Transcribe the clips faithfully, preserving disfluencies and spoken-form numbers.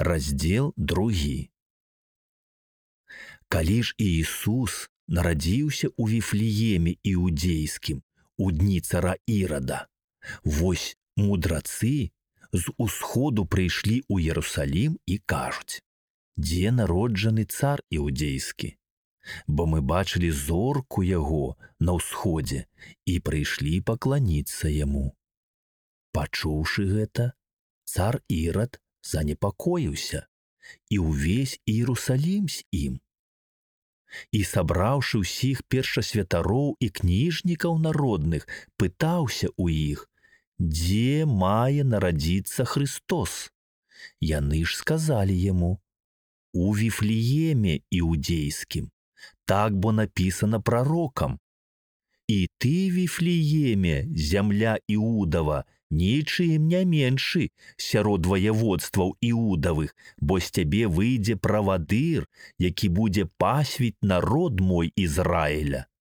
Раздзел другі. Калі ж Іісус нарадзіўся ў Віфлееме іудзейскім у дні цара Ірада, вось мудрацы з усходу прыйшлі ў Ерусалім і кажуць: «Дзе народжаны цар іудзейскі? Бо мы бачылі зорку яго на ўсходзе і прыйшлі пакланіцца яму». Пачуўшы гэта, цар Ірад занепакоіўся і ўвесь Іерусалім з ім. І, сабраўшы ўсіх першасвятароў і кніжнікаў народных, пытаўся ў іх, дзе мае нарадзіцца Христос. Яны ж сказалі яму: «У Віфлееме іудзейскім, так бо напісана прарокам: і ты, Віфлееме, зямля Іудава, нічым не меншы сярод ваяводстваў Іудавых, бо з цябе выйдзе правадыр, які будзе пасвіць народ мой Ізраіля».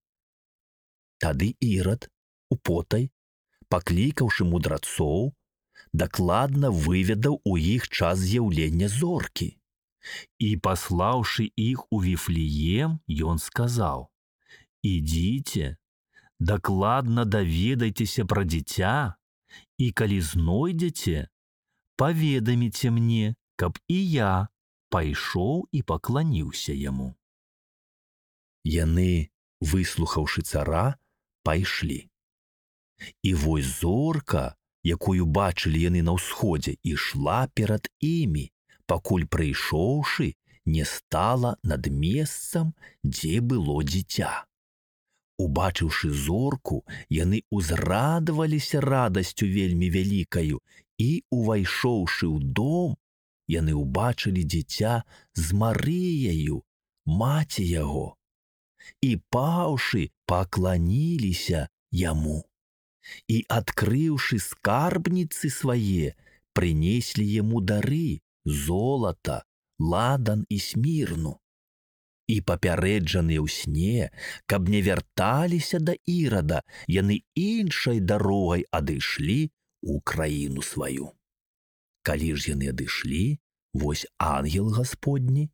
Тады Ірад, употай, паклікаўшы мудрацоў, дакладна выведаў у іх час з'яўлення зоркі. І, паслаўшы іх у Віфлеем, ён сказаў: «Ідзіце, дакладна даведайцеся пра дзіця, і калі знойдзеце, паведаміце мне, каб і я пайшоў і пакланіўся яму». Яны, выслухаўшы цара, пайшлі. І вось зорка, якую бачылі яны на ўсходзе, ішла перад імі, пакуль, прыйшоўшы, не стала над месцам, дзе было дзіця. Убачыўшы зорку, яны ўзрадаваліся радасцю вельмі вялікаю, і, увайшоўшы ў дом, яны ўбачылі дзіця з Марыяю, маці яго, і, паўшы, пакланіліся яму. І, адкрыўшы скарбніцы свае, прынеслі яму дары: золата, ладан і смірну. І, папярэджаныя ў сне, каб не вярталіся да Ірада, яны іншай дарогай адышлі ў краіну сваю. Калі ж яны адышлі, вось ангел Гасподні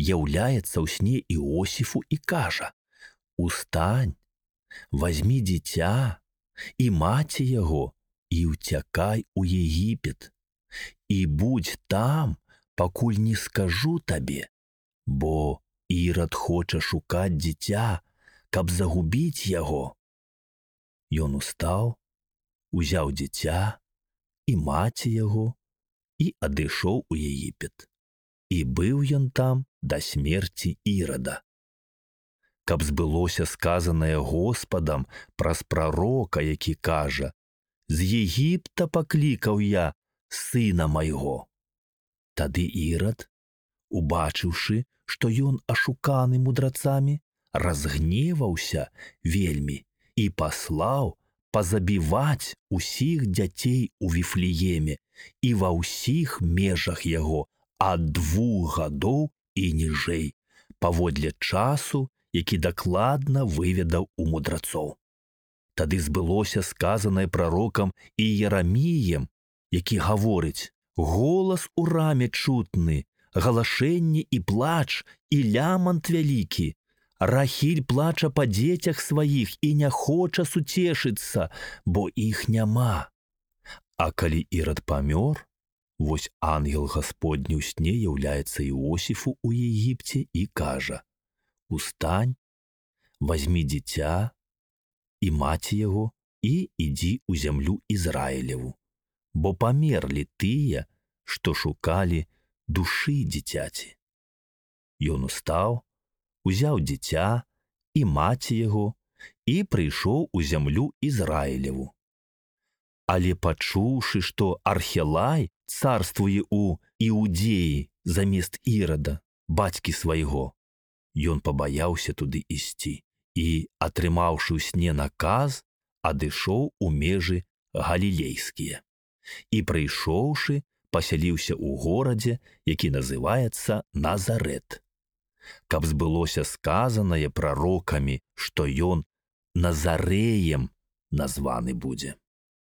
яўляецца ў сне Іосіфу і кажа: «Устань, вазьмі дзіця і маці яго і ўцякай у Егіпет, і будзь там, пакуль не скажу табе, бо Ірад хоча шукаць дзіця, каб загубіць яго». Ён устаў, узяў дзіця і маці яго і адышоў у Егіпет. І быў ён там да смерці Ірада. Каб збылося сказанае Господам праз прарока, які кажа: «З Егіпта паклікаў я сына майго». Тады Ірад, убачыўшы, што ён ашуканы мудрацамі, разгневаўся вельмі і паслаў пазабіваць усіх дзяцей у Віфлееме і ва ўсіх межах яго ад двух гадоў і ніжэй, паводле часу, які дакладна выведаў у мудрацоў. Тады збылося сказанае прарокам Іераміем, які гаворыць: «Голас у раме чутны, галашэнне і плач, і лямант вялікі. Рахіль плача па дзецях сваіх і не хоча суцешыцца, бо іх няма». А калі Ірад памёр, вось ангел Гасподні ў сне яўляецца Іосіфу ў Егіпце і кажа: «Устань, вазьмі дзіця і маці яго і ідзі ў зямлю Ізраілеву, бо памерлі тыя, што шукалі душы дзіцяці». Ён устаў, узяў дзіця і маці яго і прыйшоў у зямлю Ізраілеву. Але, пачуўшы, што Архелай царствуе ў Іудзеі замест Ірада, бацькі свайго, ён пабаяўся туды ісці і, атрымаўшы ў сне наказ, адышоў у межы галілейскія. І, прыйшоўшы, пасяліўся ў горадзе, які называецца Назарэт, каб збылося сказанае прарокамі, што ён Назарэем названы будзе.